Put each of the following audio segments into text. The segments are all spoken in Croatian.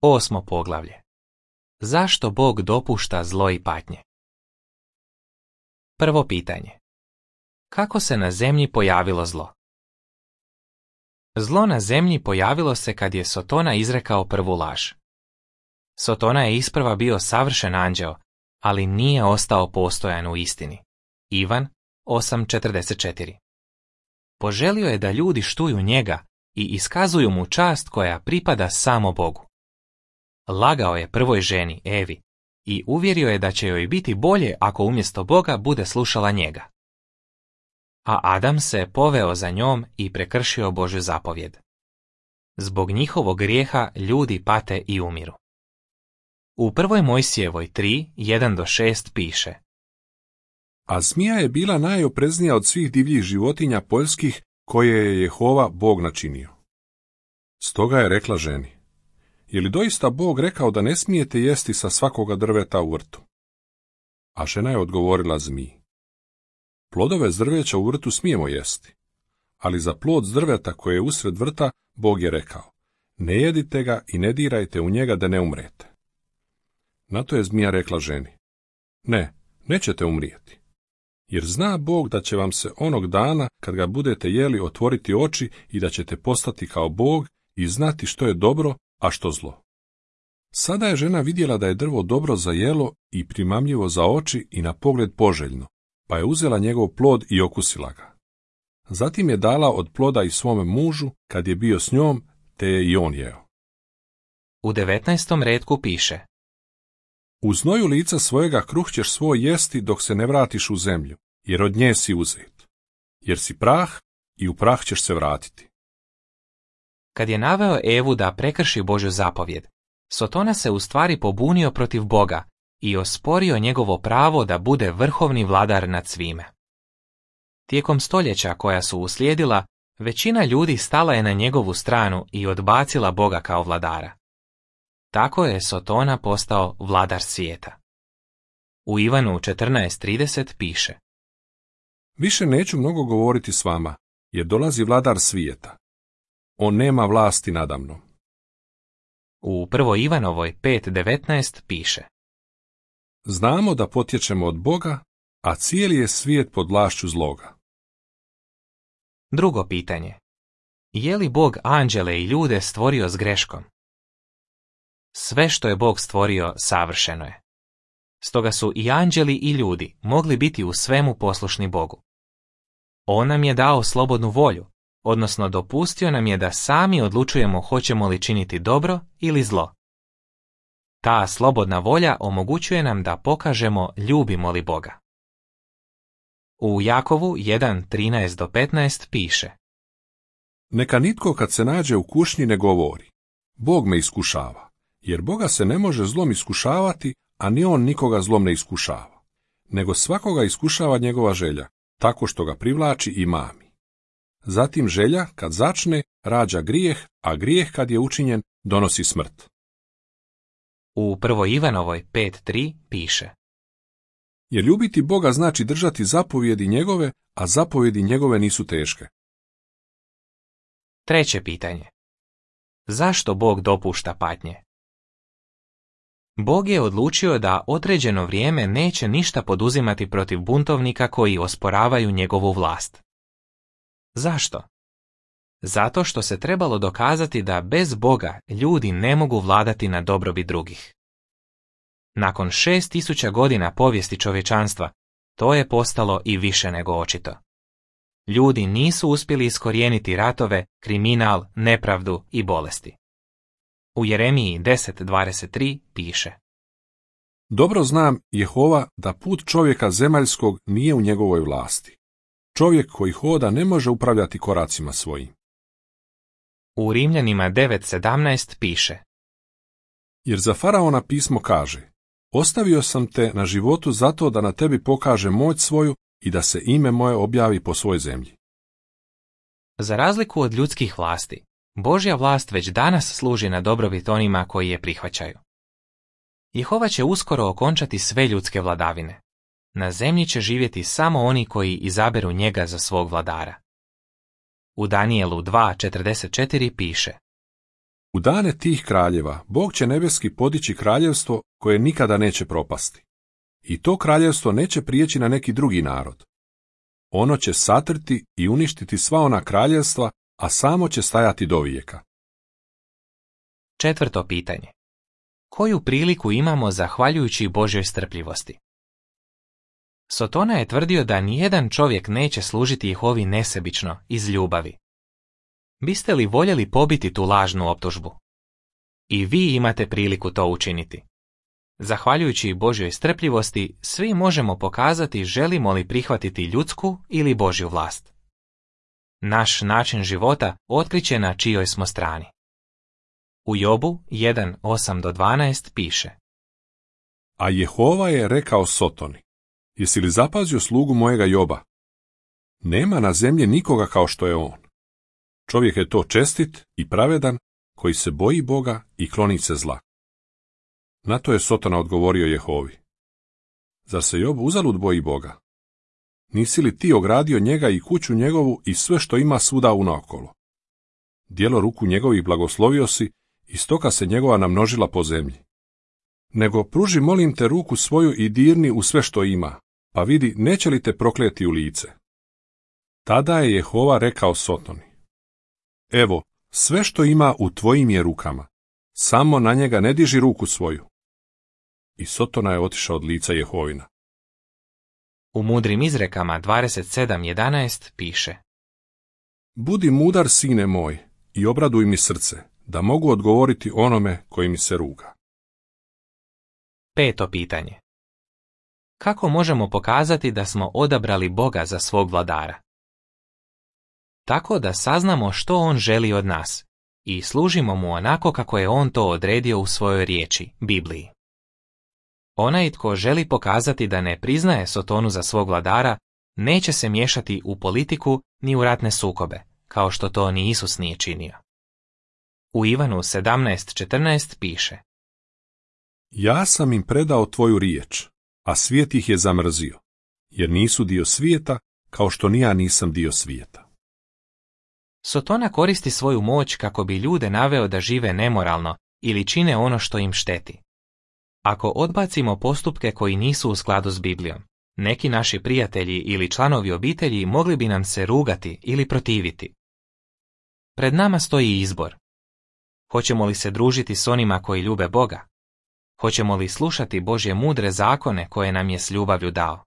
8. poglavlje. Zašto Bog dopušta zlo i patnje? Prvo pitanje. Kako se na zemlji pojavilo zlo? Zlo na zemlji pojavilo se kad je Sotona izrekao prvu laž. Sotona je isprva bio savršen anđeo, ali nije ostao postojan u istini. Ivan 8.44. Poželio je da ljudi štuju njega i iskazuju mu čast koja pripada samo Bogu. Lagao je prvoj ženi, Evi, i uvjerio je da će joj biti bolje ako umjesto Boga bude slušala njega. A Adam se poveo za njom i prekršio Božju zapovjed. Zbog njihovog grijeha ljudi pate i umiru. U 1. Mojsijevoj 3:1-6 piše: A zmija je bila najopreznija od svih divljih životinja poljskih koje je Jehova Bog načinio. Stoga je rekla ženi: Je li doista Bog rekao da ne smijete jesti sa svakoga drveta u vrtu? A žena je odgovorila zmiji: Plodove s drveća u vrtu smijemo jesti, ali za plod s drveta koje je usred vrta Bog je rekao: Ne jedite ga i ne dirajte u njega da ne umrete. Na to je zmija rekla ženi: Ne, nećete umrijeti, jer zna Bog da će vam se onog dana, kad ga budete jeli, otvoriti oči i da ćete postati kao Bog i znati što je dobro, a što zlo. Sada je žena vidjela da je drvo dobro za jelo i primamljivo za oči i na pogled poželjno, pa je uzela njegov plod i okusila ga. Zatim je dala od ploda i svome mužu, kad je bio s njom, te je i on jeo. U 19. retku piše: U znoju lica svojega kruh ćeš svoj jesti dok se ne vratiš u zemlju, jer od nje si uzet. Jer si prah i u prah ćeš se vratiti. Kad je naveo Evu da prekrši Božju zapovjed, Sotona se u stvari pobunio protiv Boga i osporio njegovo pravo da bude vrhovni vladar nad svime. Tijekom stoljeća koja su uslijedila, većina ljudi stala je na njegovu stranu i odbacila Boga kao vladara. Tako je Sotona postao vladar svijeta. U Ivanu 14:30 piše: Više neću mnogo govoriti s vama, jer dolazi vladar svijeta. On nema vlasti nadamnom. U 1. Ivanovoj 5:19 piše: Znamo da potječemo od Boga, a cijeli je svijet pod vlašću zloga. Drugo pitanje. Je li Bog anđele i ljude stvorio s greškom? Sve što je Bog stvorio savršeno je. Stoga su i anđeli i ljudi mogli biti u svemu poslušni Bogu. On nam je dao slobodnu volju, odnosno dopustio nam je da sami odlučujemo hoćemo li činiti dobro ili zlo. Ta slobodna volja omogućuje nam da pokažemo ljubimo li Boga. U Jakovu 1:13-15 piše: Neka nitko kad se nađe u kušnji ne govori: Bog me iskušava, jer Boga se ne može zlom iskušavati, a ni on nikoga zlom ne iskušava, nego svakoga iskušava njegova želja, tako što ga privlači i mami. Zatim želja, kad začne, rađa grijeh, a grijeh kad je učinjen, donosi smrt. U 1. Ivanovoj 5:3 piše: Jer ljubiti Boga znači držati zapovjedi njegove, a zapovjedi njegove nisu teške. Treće pitanje. Zašto Bog dopušta patnje? Bog je odlučio da određeno vrijeme neće ništa poduzimati protiv buntovnika koji osporavaju njegovu vlast. Zašto? Zato što se trebalo dokazati da bez Boga ljudi ne mogu vladati na dobrobit drugih. Nakon 6000 godina povijesti čovječanstva, to je postalo i više nego očito. Ljudi nisu uspjeli iskorijeniti ratove, kriminal, nepravdu i bolesti. U Jeremiji 10:23 piše: Dobro znam, Jehova, da put čovjeka zemaljskog nije u njegovoj vlasti. Čovjek koji hoda ne može upravljati koracima svojim. U Rimljanima 9:17 piše: Jer za faraona pismo kaže: Ostavio sam te na životu zato da na tebi pokaže moć svoju i da se ime moje objavi po svoj zemlji. Za razliku od ljudskih vlasti, Božja vlast već danas služi na dobrobit onima koji je prihvaćaju. Jehova će uskoro okončati sve ljudske vladavine. Na zemlji će živjeti samo oni koji izaberu njega za svog vladara. U Danijelu 2:44 piše: U dane tih kraljeva Bog će nebeski podići kraljevstvo koje nikada neće propasti. I to kraljevstvo neće prijeći na neki drugi narod. Ono će satrti i uništiti sva ona kraljevstva, a samo će stajati dovijeka. 4. pitanje. Koju priliku imamo zahvaljujući Božjoj strpljivosti? Sotona je tvrdio da nijedan čovjek neće služiti Jehovi nesebično, iz ljubavi. Biste li voljeli pobiti tu lažnu optužbu? I vi imate priliku to učiniti. Zahvaljujući Božjoj strpljivosti, svi možemo pokazati želimo li prihvatiti ljudsku ili Božju vlast. Naš način života otkriće na čijoj smo strani. U Jobu 1:8-12 piše: A Jehova je rekao Sotoni, jesi li zapazio slugu mojega Joba? Nema na zemlji nikoga kao što je on. Čovjek je to čestit i pravedan, koji se boji Boga i kloni se zla. Na to je Sotona odgovorio Jehovi: Zar se Job uzalud boji Boga? Nisi li ti ogradio njega i kuću njegovu i sve što ima svuda unaokolo? Djelo ruku njegovih blagoslovio si i stoka se njegova namnožila po zemlji. Nego pruži, molim te, ruku svoju i dirni u sve što ima, pa vidi neće li te prokleti u lice. Tada je Jehova rekao Sotoni: Evo, sve što ima u tvojim je rukama, samo na njega ne diži ruku svoju. I Sotona je otišao od lica Jehovina. U Mudrim izrekama 27:11 piše: Budi mudar, sine moj, i obraduj mi srce, da mogu odgovoriti onome koji mi se ruga. 5. pitanje. Kako možemo pokazati da smo odabrali Boga za svog vladara? Tako da saznamo što on želi od nas i služimo mu onako kako je on to odredio u svojoj riječi, Bibliji. Onaj tko želi pokazati da ne priznaje Sotonu za svog vladara, neće se miješati u politiku ni u ratne sukobe, kao što to ni Isus nije činio. U Ivanu 17:14 piše: Ja sam im predao tvoju riječ, a svijet ih je zamrzio, jer nisu dio svijeta, kao što ni ja nisam dio svijeta. Sotona koristi svoju moć kako bi ljude naveo da žive nemoralno ili čine ono što im šteti. Ako odbacimo postupke koji nisu u skladu s Biblijom, neki naši prijatelji ili članovi obitelji mogli bi nam se rugati ili protiviti. Pred nama stoji izbor. Hoćemo li se družiti s onima koji ljube Boga? Hoćemo li slušati Božje mudre zakone koje nam je s ljubavlju dao?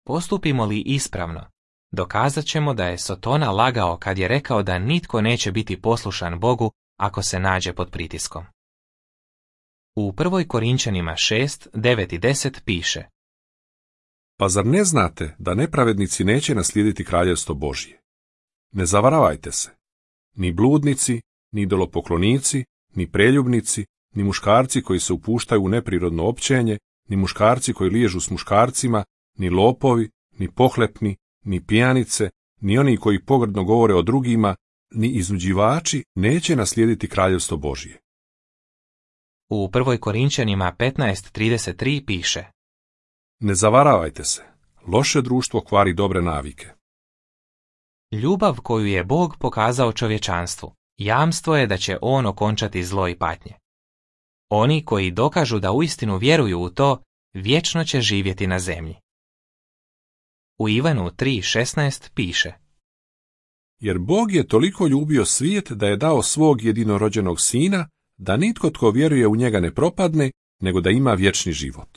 Postupimo li ispravno, dokazat ćemo da je Sotona lagao kad je rekao da nitko neće biti poslušan Bogu ako se nađe pod pritiskom. U 1. Korinčanima 6:9 i 10 piše: Pa zar ne znate da nepravednici neće naslijediti kraljevstvo Božje? Ne zavaravajte se. Ni bludnici, ni idolopoklonici, ni preljubnici, ni muškarci koji se upuštaju u neprirodno općenje, ni muškarci koji liježu s muškarcima, ni lopovi, ni pohlepni, ni pijanice, ni oni koji pogrdno govore o drugima, ni iznuđivači neće naslijediti kraljevstvo Božje. U 1. Korinčanima 15:33 piše: Ne zavaravajte se, loše društvo kvari dobre navike. Ljubav koju je Bog pokazao čovječanstvu, jamstvo je da će on okončati zlo i patnje. Oni koji dokažu da uistinu vjeruju u to, vječno će živjeti na zemlji. U Ivanu 3:16 piše: Jer Bog je toliko ljubio svijet da je dao svog jedinorođenog sina, da nitko tko vjeruje u njega ne propadne, nego da ima vječni život.